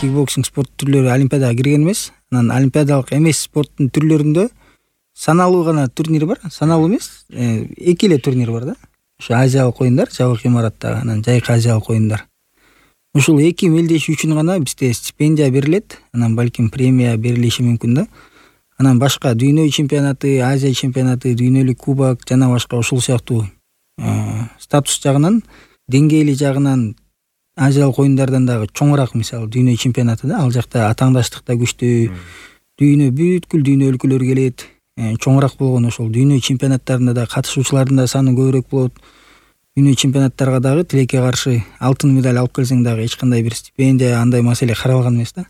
кикбоксинг спорт түрлөрү олимпиадага кирген эмес. Анан олимпиадалык эмес спорттун түрлөрүндө саналуу гана турнир бар. Саналуу эмес, 2 эле турнир бар да. Ошо Азиялык оюндар, жабык имараттагы, анан жайкы Азиялык оюндар. Ушул 2 мелдеши үчүн гана бизде стипендия берилет. Анан балким премия берилиши мүмкүн да. Анан башка дүйнө чемпионаты, Азия чемпионаты, дүйнөлүк кубок жана башка ушул сыяктуу статус жагынан, деңгээли жагынан Азиялык оюндардан дагы чоңураак, мисалы дүйнө чемпионаты да, ал жакта атаңдаштык да күчтүү, бүткүл дүйнө өлкөлөрү келет, чоңураак болгон ошол дүйнө чемпионаттарында да катышуучулардын да саны көбүрөөк болот. Дүйнө чемпионаттарга дагы тилекке каршы алтын медаль алып келсең дагы эч кандай бир стипендия, андай маселе каралган эмес да.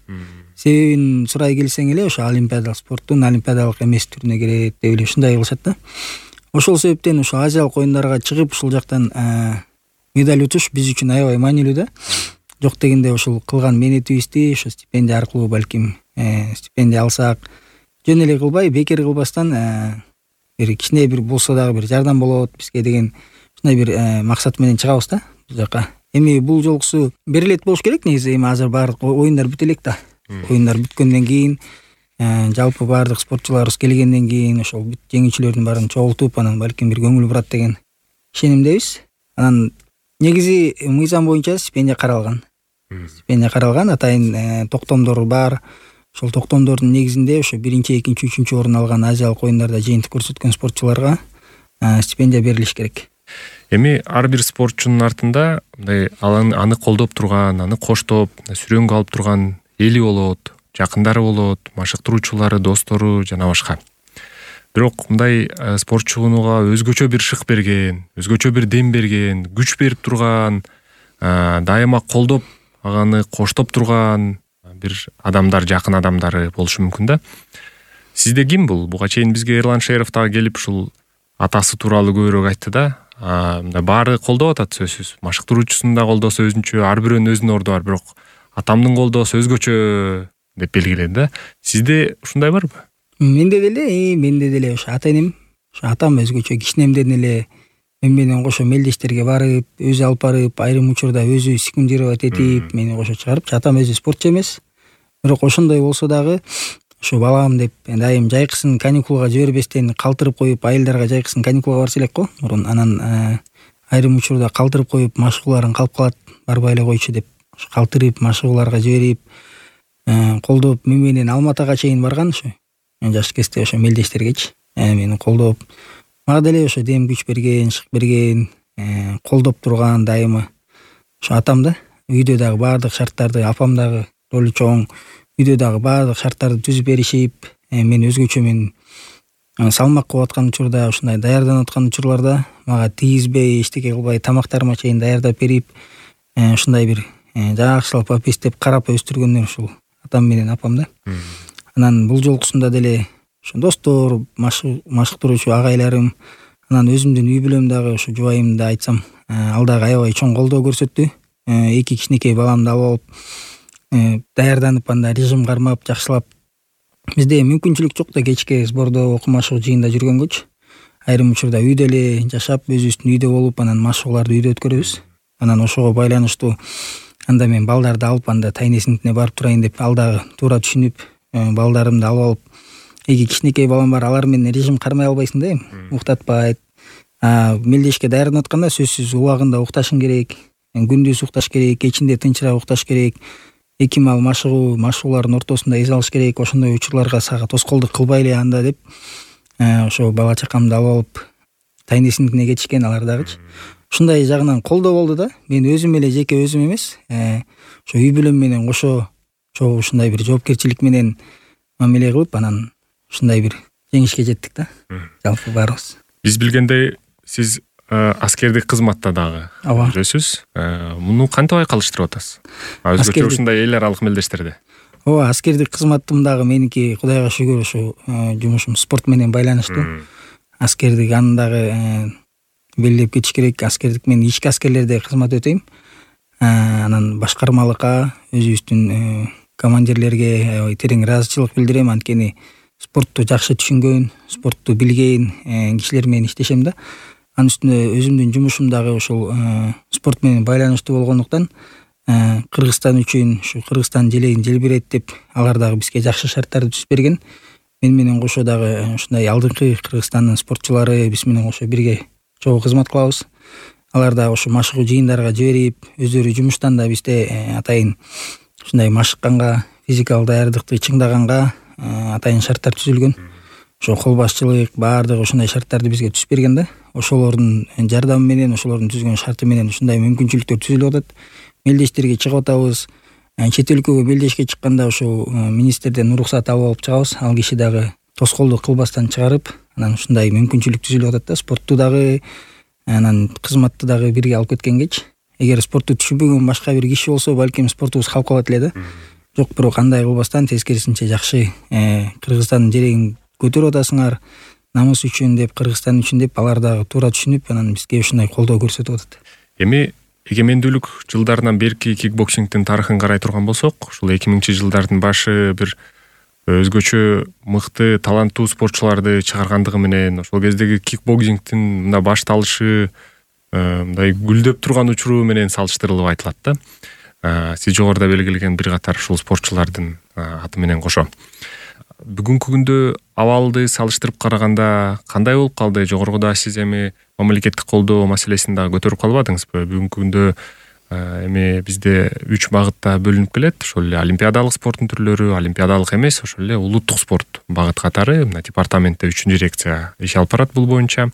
Себебин сурай келсең эле ошо олимпиадалык спорттун олимпиадалык эмес түрүнө кирет деп эле ушундай кылышат да. Ошол себептен ошо Азиялык оюндарга чыгып ушул жактан медаль утуш биз үчүн аябай маанилүү да. Жок дегенде ошол кылган мээнетибизди ошо стипендия аркылуу балким стипендия алсак, жөн эле кылбай, бекер кылбастан бир кичине бир болсо дагы бир жардам болот бизге деген ушундай бир максат менен чыгабыз да бул жака. Эми бул жолкусу берилет болуш керек негизи. Эми азыр баардык оюндар бүтө элек да. Оюндар бүткөндөн кийин жалпы баардык спортчуларыбыз келгенден кийин ошол бүт жеңүүчүлөрдүн баарын чогултуп, анан балким бир көңүл бурат деген ишенимдебиз. Анан негизи мыйзам боюнча стипендия каралган. Стипендия каралган, атайын токтомдор бар. Ошол токтомдордун негизинде ошо 1-чи, 2-чи, 3-чү орун алган Азиялык оюндарда жыйынтык көрсөткөн спортчуларга стипендия берилиш керек. Эми ар бир спортчунун артында мындай аны колдоп турган, аны коштоп, сүрөнгө алып турган эли болот, жакындары болот, машыктыруучулары, достору жана башка. Бирок мындай спортчуга өзгөчө бир шык берген, өзгөчө бир дем берген, күч берип турган, дайыма колдоп, аны коштоп турган бир адамдар, жакын адамдары болушу мүмкүн да. Сизде ким бул? Буга чейин бизге Эрлан Шеров дагы келип ушул атасы тууралуу көбүрөөк айтты да. Баары колдоп атат сөзсүз. Машыктыруучусун да колдосо өзүнчө, ар бирөөнүн өзүнүн орду бар, бирок атамдын колдоосу өзгөчө деп белгиледи да. Сизде ушундай барбы? Менде деле ошо ата-энем, ошо атам өзгөчө кичинемден эле мен менен кошо мелдештерге барып, өзү алып барып, айрым учурда өзү секундировать этип, мени кошо чыгарып, атам өзү спортчу эмес. Бирок ошондой болсо дагы ошо балам деп дайым жайкысын каникулга жибербестен калтырып коюп, айылдарга жайкысын каникулга барса элек го мурун. Анан айрым учурда калтырып коюп, машыгууларын калып калат, барбай эле койчу деп калтырып, машыгууларга жиберип, колдоп, мен менен Алматыга чейин барган ошо. Жаш кезде ошо мелдештергечи мени колдоп, мага деле ошо дем күч берген, шык берген, колдоп турган дайыма ошо атам да. Үйдө дагы баардык шарттарды, апам дагы ролу чоң, үйдө дагы баардык шарттарды түзүп беришип, мен өзгөчө салмак кылып аткан учурда, ушундай даярданып аткан учурларда мага тийгизбей, эчтеке кылбай, тамактарыма чейин даярдап берип, ушундай бир жакшылап апестеп карап өстүргөндөр ушул атам менен апам да. Анан бул жолкусунда деле ошо достор, машыктыруучу агайларым, анан өзүмдүн үй бүлөм дагы ошо жубайымды да айтсам, ал дагы аябай чоң колдоо көрсөттү. 2 кичинекей баламды алып алып, даярданып, анда режим кармап, жакшылап. Бизде мүмкүнчүлүк жок да кечке сбордо, окуу-машыгуу жыйында жүргөнгөчү. Айрым учурда үйдө эле жашап, өзүбүздүн үйдө болуп, анан машыгууларды үйдө өткөрөбүз. Анан ошого байланыштуу анда мен балдарды алып, анда тайнесиңитине барып турайын деп, ал дагы туура түшүнүп, балдарымды алып алып, 2 кичинекей балам бар, алар менен режим кармай албайсың да эми, уктатпайт. Мелдешке даярданып атканда сөзсүз убагында укташың керек, күндүз укташ керек, кечинде тынчыраак укташ керек. 2 мал машыгуулардын ортосунда эс алыш керек. Ошондой учурларга сага тоскоолдук кылбай эле анда деп, ошо бала чакамды алып алып тайнесиңитине кетишкен алар дагычы. Ушундай жагынан колдоо болду да. Мен өзүм эле жеке өзүм эмес, ошо үй бүлөм менен кошо ушундай бир жоопкерчилик менен мамиле кылып, анан ушундай бир жеңишке жеттик да. Жалпы баарыбыз. Биз билгендей, сиз аскердик кызматта дагы жүрөсүз. Муну кантип айкалыштырып атасыз? Өзгөчө ушундай эл аралык мелдештерде. Ооба, аскердик кызматым дагы меники Кудайга шүгүр ошо жумушум спорт менен байланыштуу. Аскердик аны дагы белгилеп кетиш керек. Аскердик мен ички аскерлерде кызмат өтөйм. Анан башкармалыкка, өзүбүздүн командирлерге аябай терең ыраазычылык билдирем. Анткени спортту жакшы түшүнгөн, спортту билген кишилер менен иштешем да. Анын үстүнө өзүмдүн жумушум дагы ошол спорт менен байланыштуу болгондуктан Кыргызстан үчүн ушу Кыргызстан желегин желбирет деп алар дагы бизге жакшы шарттарды түзүп берген. Мен менен кошо дагы ушундай алдыңкы Кыргызстандын спортчулары биз менен кошо бирге чогуу кызмат кылабыз. Алар дагы ошо машыгуу жыйындарга жиберип, өздөрү жумуштан да бизде атайын ушундай машыкканга, физикалык даярдыкты чыңдаганга атайын шарттар түзүлгөн. Ошо кол башчылык баардыгы ушундай шарттарды бизге түзүп берген да. Ошолордун жардамы менен, ошолордун түзгөн шарты менен ушундай мүмкүнчүлүктөр түзүлүп атат. Мелдештерге чыгып атабыз. Чет өлкөгө мелдешке чыкканда ошо министрден уруксат алып алып чыгабыз. Ал киши дагы тоскоолдук кылбастан чыгарып, анан ушундай мүмкүнчүлүк түзүлүп атат да. Спортту дагы, анан кызматты дагы бирге алып кеткенге. Эгер спортту түшүнбөгөн башка бир киши болсо, балким спортубуз калып калат эле да. Жок, бирок андай кылбастан тескерисинче жакшы Кыргызстандын жерегин көтөрүп атасыңар, намыс үчүн деп, Кыргызстан үчүн деп алар дагы туура түшүнүп, анан бизге ушундай колдоо көрсөтүп атат. Эми эгемендүүлүк жылдарынан берки кикбоксингдин тарыхын карай турган болсок, ушул 2000-жылдардын башы бир өзгөчө мыкты, таланттуу спортчуларды чыгаргандыгы менен ошол кездеги кикбоксингдин мына башталышы мындай гүлдөп турган учуру менен салыштырылып айтылат да. Сиз жогоруда белгилеген бир катар ушул спортчулардын аты менен кошо. Бүгүнкү күндө абалды салыштырып караганда кандай болуп калды? Жогоруда сиз эми мамлекеттик колдоо маселесин дагы көтөрүп калбадыңызбы? Бүгүнкү күндө эми бизде 3 багытта бөлүнүп келет. Ошол эле олимпиадалык спорттун түрлөрү, олимпиадалык эмес, ошол эле улуттук спорт багыт катары мына департаментте 3-дирекция иш алып барат бул боюнча.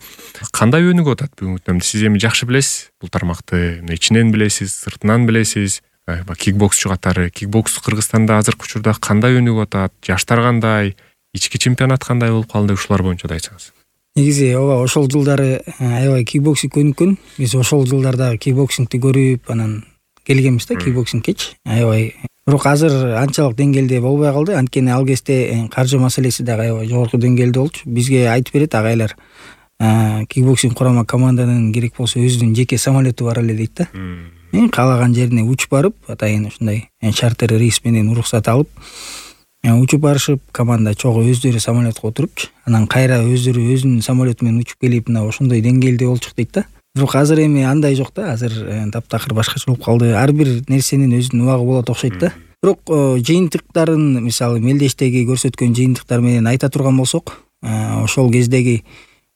Кандай өнүгүп атат бүгүнкү күндө? Сиз эми жакшы билесиз бул тармакты, ичинен билесиз, сыртынан билесиз. Кикбоксчу катары, кикбокс Кыргызстанда азыркы учурда кандай өнүгүп атат? Жаштар кандай? Ички чемпионат кандай болуп калды? Ушулар боюнча да айтсаңыз. Негизи ооба, ошол жылдары аябай кикбоксинг өнүккөн. Биз ошол жылдардагы кикбоксингти көрүп, анан келгенбиз да кикбоксингкечи. Аябай. Бирок азыр анчалык деңгээлде болбой калды. Анткени ал кезде каржы маселеси дагы аябай жогорку деңгээлде болчу. Бизге айтып берет агайлар. Кикбоксинг курама команданын керек болсо өзүнүн жеке самолету бар эле дейт да. Каалаган жерине учуп барып, атайын ушундай чартер рейс менен уруксат алып, учуп барышып, команда чогуу өздөрү самолетко отурупчу, анан кайра өздөрү өзүнүн самолету менен учуп келип, мына ошондой деңгээлде болчук дейт да. Бирок азыр эми андай жок да, азыр таптакыр башкача болуп калды. Ар бир нерсенин өзүнүн убагы болот окшойт да. Бирок жыйынтыктарын, мисалы мелдештеги көрсөткөн жыйынтыктар менен айта турган болсок, ошол кездеги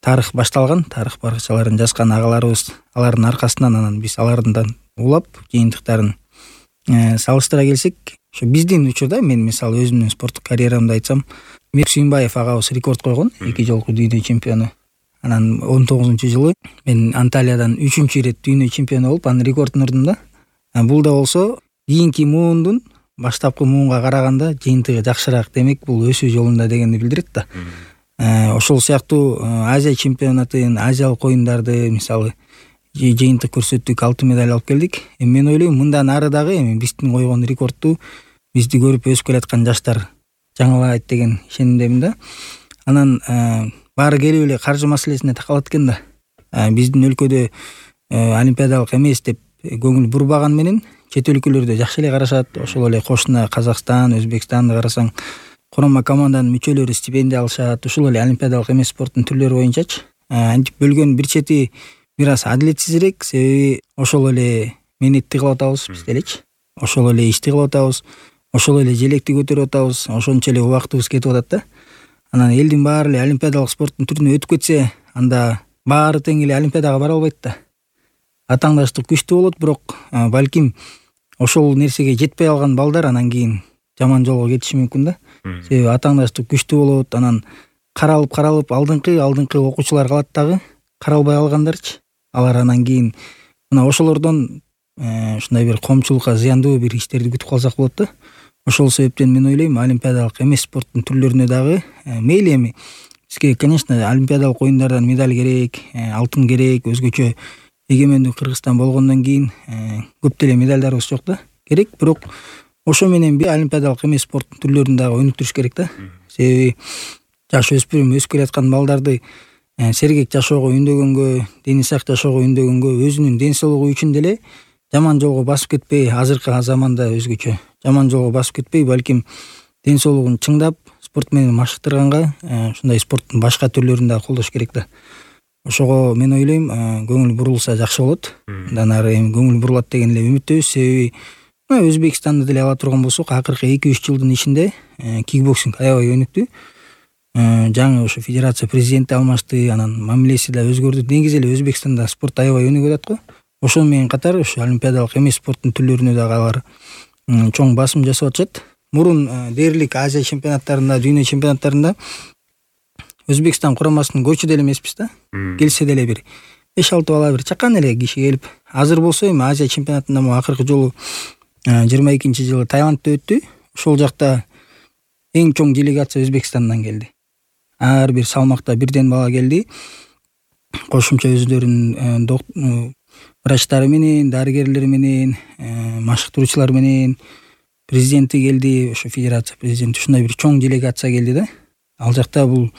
тарых башталган, тарых баракчаларын жазган агаларыбыз, алардын аркасынан анан биз алардан улап жыйынтыктарын салыштыра келсек, ошо биздин учурда мен мисалы өзүмдүн спорттук карьерамды айтсам, Мир Сүйүнбаев агабыз рекорд койгон, 2 жолку дүйнө чемпиону. Анан 19-жылы мен Анталиядан 3-чү ирет дүйнө чемпиону болуп, анын рекордун урдум да. Бул да болсо кийинки муундун баштапкы муунга караганда жыйынтыгы жакшыраак, демек бул өсүү жолунда дегенди билдирет да. Ошол сыяктуу Азия чемпионатын, азиялык оюндарды мисалы жыйынтык көрсөттүк, алтын медаль алып келдик. Мен ойлойм, мындан ары дагы эми биздин койгон рекордту бизди көрүп өсүп келаткан жаштар жаңылайт деген ишенимдемин да. Анан баары келип эле каржы маселесине такалат экен да. Биздин өлкөдө олимпиадалык эмес деп көңүл бурбаган менен чет өлкөлөрдө жакшы эле карашат. Ошол эле кошуна Казакстан, Өзбекстанды карасаң, курама команданын мүчөлөрү стипендия алышат. Ушул эле олимпиадалык эмес спорттун түрлөрү боюнчачы. Антип бөлгөн бир чети бир аз адилетсизирээк, себеби ошол эле менетти кылып атабыз биз делечи. Ошол эле ишти кылып атабыз, ошол эле желекти көтөрүп атабыз, ошончо эле убактыбыз кетип атат да. Анан элдин баары эле олимпиадалык спорттун түрүнө өтүп кетсе, анда баары тең эле олимпиадага бара албайт да. Атаңдаштык күчтүү болот, бирок балким ошол нерсеге жетпей алган балдар анан кийин жаман жолго кетиши мүмкүн да. Себеби атаңдаштык күчтүү болот, анан каралып алдыңкы окуучулар калат дагы, каралбай алгандарчы. Алар анан кийин мына ошолордон ушундай бир коомчулукка зыяндуу бир иштерди күтүп калсак болот да. Ошол себептен мен ойлойм, олимпиадалык эмес спорттун түрлөрүнө дагы мейли эми бизге, конечно, олимпиадалык оюндардан медаль керек, алтын керек, өзгөчө эгемендүү Кыргызстан болгондон кийин көп деле медальдарыбыз жок да. Керек, бирок ошо менен бир олимпиадалык эмес спорттун түрлөрүн дагы өнүктүрүш керек да. Себеби жаш өспүрүм өсүп келаткан балдарды сергек жашоого үндөгөнгө, дени сак жашоого үндөгөнгө, өзүнүн ден соолугу үчүн деле жаман жолго басып кетпей, азыркы заманда өзгөчө жаман жолго басып кетпей, балким ден соолугун чыңдап, спорт менен машыктырганга ушундай спорттун башка түрлөрүн дагы колдош керек да. Ошого мен ойлойм, көңүл бурулса жакшы болот. Андан ары эми көңүл бурулат деген эле үмүттөбүз, себеби Өзбекстанды деле ала турган болсок, акыркы 2-3 жылдын ичинде кикбоксинг аябай өнүктү. Жаңы ошо федерация президенти алмашты, анан мамилеси да өзгөрдү. Негизи эле Өзбекстанда спорт аябай өнүгүп атат го. Ошону менен катар ошо олимпиадалык эмес спорттун түрлөрүнө дагы алар чоң басым жасап атышат. Мурун дээрлик Азия чемпионаттарында, дүйнө чемпионаттарында Өзбекстан курамасынын көчү деле эмеспиз да. Келсе деле бир 5-6 бала бир чакан эле киши келип. Азыр болсо эми Азия чемпионатында акыркы жолу 22-жылы Таиландда өттү. Ошол жакта эң чоң делегация Өзбекстандан келди. Ар бир салмакта бирден бала келди. Кошумча өздөрүнүн врачтары менен, дарыгерлери менен, машыктыруучулар менен, президенти келди, ошо федерация президенти, ушундай бир чоң делегация келди да. Ал жакта бул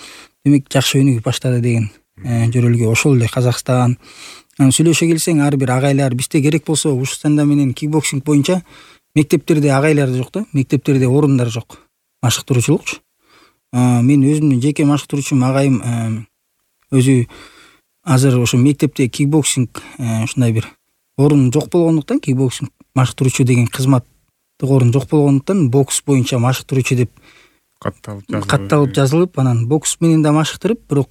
демек жакшы өнүгүп баштады деген жөрөлгө. Ошол эле Казакстан. Сүйлөшө келсең, ар бир агайлар бизде керек болсо Ушстанда менен кикбоксинг боюнча мектептерде агайлар жок да, мектептерде орундар жок. Машыктыруучулукчу. Мен өзүмдүн жеке машыктыруучум агайым өзү азыр ошо мектепте кикбоксинг ушундай бир орун жок болгондуктан, кикбоксинг машыктыруучу деген кызматтык орун жок болгондуктан бокс боюнча машыктыруучу деп катталып жазылып, анан бокс менен да машыктырып, бирок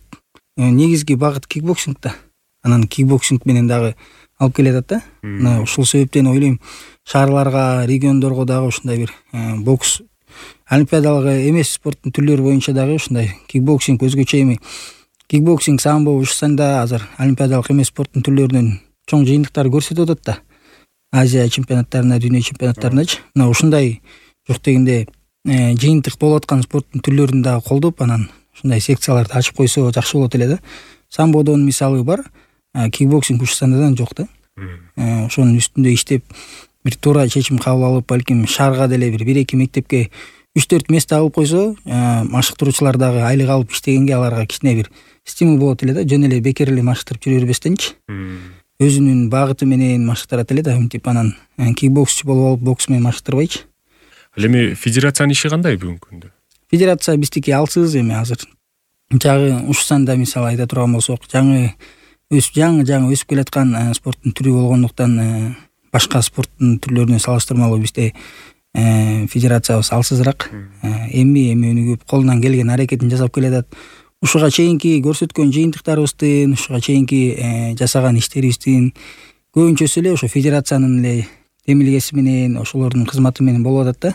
негизги багыт кикбоксинг да. Анан кикбоксинг менен дагы алып келатат да. Мына ушул себептен ойлойм, шаарларга, региондорго дагы ушундай бир бокс олимпиадалык эмес спорттун түрлөрү боюнча дагы ушундай кикбоксинг өзгөчө эми кикбоксинг, самбо, ушсанда азыр олимпиадалык эмес спорттун түрлөрүнүн чоң жыйынтыктары көрсөтүп атат да. Азия чемпионаттарында, дүйнө чемпионаттарындачы. Мына ушундай жок дегенде жыйынтык болуп аткан спорттун түрлөрүн дагы колдоп, анан ушундай секцияларды ачып койсо жакшы болот эле да. Самбодон мисалы бар, кикбоксинг Ушстандадан жок да. Ошонун үстүндө иштеп, бир туура чечим кабыл алып, балким шаарга деле бир 1-2 мектепке 3-4 место алып койсо, машыктыруучулар дагы айлык алып иштегенге аларга кичине бир стимул болот эле да. Жөн эле бекер эле машыктырып жүрө бербестенчи. Өзүнүн багыты менен машыктырат эле да. Мынтип анан кикбоксчу болуп алып бокс менен машыктырбайчы. Ал эми федерациянын иши кандай бүгүнкү күндө? Федерация биздики алсыз эми азыр. Жагы Ушстанда мисалы айта турган болсок, жаңы өсүп келаткан спорттун түрү болгондуктан башка спорттун түрлөрүнө салыштырмалуу бизде федерациябыз алсызыраак. Эми өнүгүп, колунан келген аракетин жасап келатат. Ушуга чейинки көрсөткөн жыйынтыктарыбыздын, ушуга чейинки жасаган иштерибиздин көбүнчөсү эле ошо федерациянын эле демилгеси менен, ошолордун кызматы менен болуп атат да.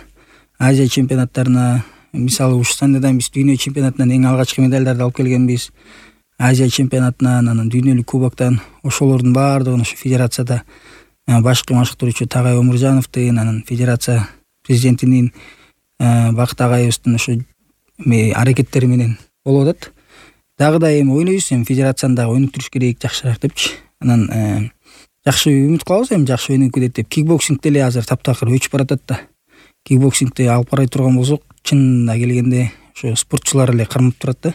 Азия чемпионаттарына, мисалы Ушстандадан биз дүйнө чемпионатынан эң алгачкы медалдарды алып келгенбиз. Азия чемпионатынан, анан дүйнөлүк кубоктон, ошолордун баардыгын ошо федерацияда башкы машыктыруучу Тагай Омуржановдун, анан федерация президентинин Бакыт агайыбыздын ошо аракеттери менен болуп атат. Дагы да эми ойлойбуз, эми федерацияны дагы өнүктүрүш керек жакшыраак депчи. Анан жакшы үмүт кылабыз, эми жакшы өнүгүп кетет деп. Кикбоксинг деле азыр таптакыр өчүп баратат да. Кикбоксингди алып карай турган болсок, чынына келгенде ошо спортчулар эле кармап турат да.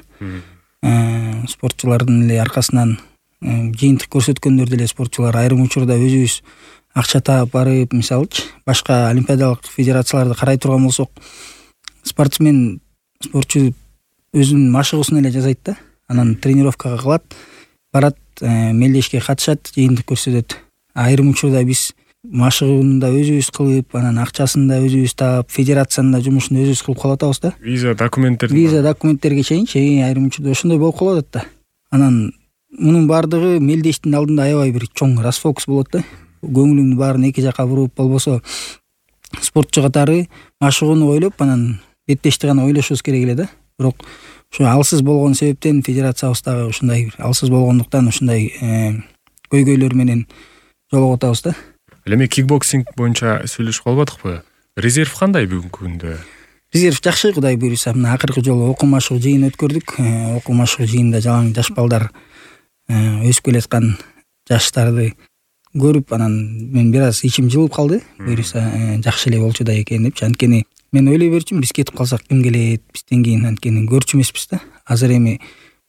Спортчулардын эле аркасынан жыйынтык көрсөткөндөр деле спортчулар айрым учурда өзүбүз акча таап барып, мисалычы башка олимпиадалык федерацияларды карай турган болсок, спортчу өзүнүн машыгуусун эле жасайт да. Анан тренировкага кылат, барат, мелдешке катышат, жыйынтык көрсөтөт. Айрым учурда биз машыгууну да өзүбүз кылып, анан акчасын да өзүбүз таап, федерациянын да жумушун өзүбүз кылып калып атабыз да. Виза документтерге чейинчи айрым учурда ошондой болуп калып атат да. Анан мунун баардыгы мелдештин алдында аябай бир чоң расфокус болот да. Көңүлүңдүн баарын эки жака буруп, болбосо спортчу катары машыгууну ойлоп, анан беттешти гана ойлошубуз керек эле да. Бирок ошо алсыз болгон себептен федерациябыз дагы ушундай бир алсыз болгондуктан ушундай көйгөйлөр менен жолугуп атабыз да. Эми кикбоксинг боюнча сүйлөшүп калбадыкпы? Резерв кандай бүгүнкү күндө? Резерв жакшы, Кудай буйруса. Мына акыркы жолу окуу машыгуу жыйын өткөрдүк. Окуу машыгуу жыйында жалаң жаш балдар өсүп келаткан жаштарды көрүп, анан мен бир аз ичим жылып калды. Буйруса жакшы эле болчу да экен депчи. Анткени мен ойлой берчүмүн, биз кетип калсак ким келет, бизден кийин анткени көрчү эмеспиз да. Азыр эми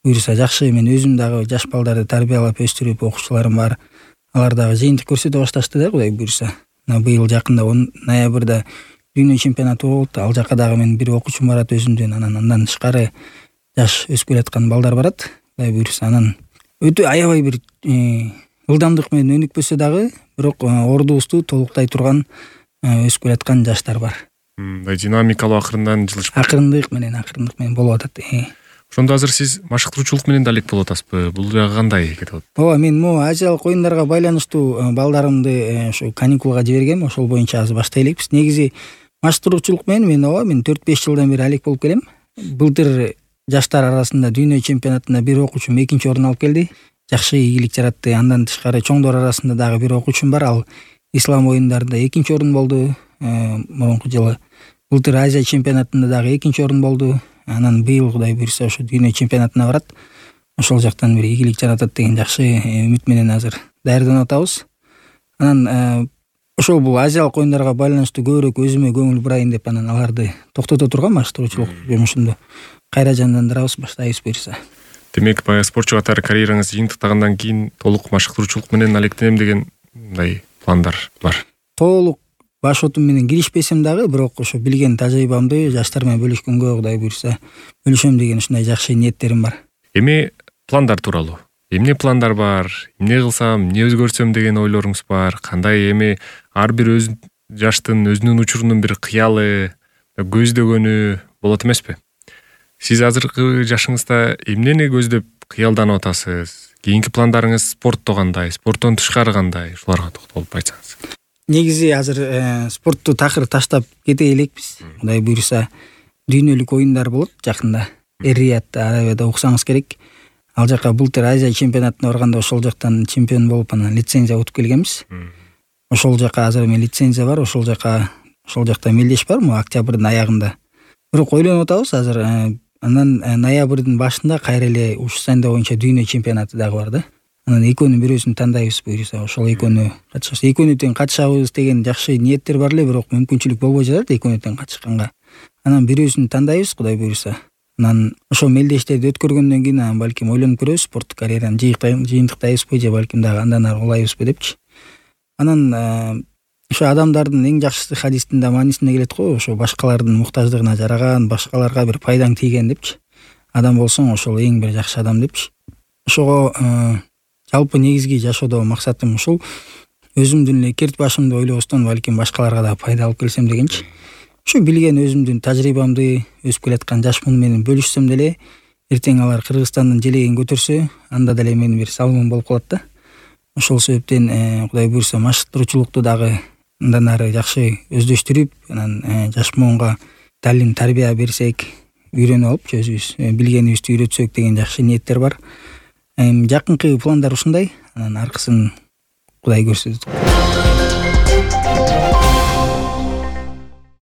буйруса жакшы, мен өзүм дагы жаш балдарды тарбиялап өстүрүп, окуучуларым бар. Алар дагы жыйынтык көрсөтө башташты да, Кудай буйруса. Быйыл жакында ноябрда дүйнө чемпионаты болот. Ал жака дагы мен бир окуучум барат өзүмдүн, андан тышкары жаш өсүп келаткан балдар барат. Кудай буйруса, анан өтө аябай бир ылдамдык менен өнүкпөсө дагы, бирок ордубузду толуктай турган өсүп келаткан жаштар бар. Мындай динамикалуу акырындан жылышып Акырындык менен болуп атат. Ошондо азыр сиз машыктыруучулук менен да алек болуп атасызбы? Бул жагы кандай кетип атат? Ооба, мен могу Азиялык оюндарга байланыштуу балдарымды ушу каникулга жибергем. Ошол боюнча азыр баштай элекпиз. Негизи машыктыруучулук менен мен 4-5 жылдан бери алек болуп келем. Былтыр жаштар арасында дүйнө чемпионатында бир окуучум 2-нчи орун алып келди. Жакшы ийгилик жаратты. Андан тышкары чоңдор арасында дагы бир окуучум бар. Ал ислам оюндарында 2-нчи орун болду. Мурунку жылы былтыр Азия чемпионатында дагы 2-нчи орун болду. Анан быйыл Кудай буйрса ошо дүйнө чемпионатына барат. Ошол жактан бир ийгилик жаратат деген жакшы үмүт менен азыр даярданып атабыз. Анан ошол бул Азиялык оюндарга байланыштуу көбүрөөк өзүмө көңүл бурайын деп анан аларды токтото турган машыктыруучулук жумушумду кайра жандандырабыз, баштайбыз буйрса. Демек, баягы спортчу катары карьераңыз жыйынтыктагандан кийин толук машыктыруучулук менен алектенем деген мындай пландар бар. Толук баш отум менен киришпесем дагы, бирок ошо билген тажрыйбамды жаштар менен бөлүшкөнгө Кудай буйрса бөлүшөм деген ушундай жакшы ниеттерим бар. Эми пландар тууралуу. Эмне пландар бар? Эмне кылсам, эмне өзгөртсөм деген ойлоруңуз бар? Кандай эми ар бир өз жаштын өзүнүн учурунун бир кыялы, көздөгөнү болот эмеспи? Сиз азыркы жашыңызда эмнени көздөп кыялданып атасыз? Кийинки пландарыңыз спортто кандай? Спорттон тышкары кандай? Ушуларга токтолуп айтсаңыз. Негизи азыр спортту такыр таштап кете элекпиз. Кудай буйрса дүйнөлүк оюндар болот жакында. Эр-Риядда, Арабияда уксаңыз керек. Ал жака былтыр Азия чемпионатына барганда ошол жактан чемпион болуп анан лицензия утуп келгенбиз. Ошол жака азыр мен лицензия бар, ошол жакта мелдеш бар, октябрдын аягында. Бирок ойлонуп атабыз азыр. Анан ноябрдын башында кайра эле Ушсанда боюнча дүйнө чемпионаты дагы бар да. Анан экөөнүн бирөөсүн тандайбыз буйрса, ошол экөөнү катышабыз. Экөөнү тең катышабыз деген жакшы ниеттер бар эле, бирок мүмкүнчүлүк болбой жатат экөөнү тең катышканга. Анан бирөөсүн тандайбыз Кудай буйрса. Анан ошол мелдештерди өткөргөндөн кийин анан балким ойлонуп көрөбүз, спорттук карьераны жыйынтыктайбызбы же балким дагы андан ары улайбызбы депчи. Анан ошо адамдардын эң жакшысы хадистин да маанисинде келет го, ошо башкалардын муктаждыгына жараган, башкаларга бир пайдаң тийген депчи. Адам болсоң ошол эң бир жакшы адам депчи. Ошого жалпы негизги жашоодо максатым ушул. Өзүмдүн эле керт башымды ойлобостон балким башкаларга да пайда алып келсем дегенчи. Ушу билген өзүмдүн тажрыйбамды өсүп келаткан жаш муну менен бөлүшсөм деле, эртең алар Кыргызстандын желегин көтөрсө, анда деле менин бир салымым болуп калат да. Ошол себептен Кудай буйрса машыктыруучулукту дагы андан ары жакшы өздөштүрүп, анан жаш муунга талим тарбия берсек, үйрөнүп алып өзүбүз билгенибизди үйрөтсөк деген жакшы ниеттер бар. Жакынкы пландар ушундай. Анан аркысын Кудай көрсөтөт.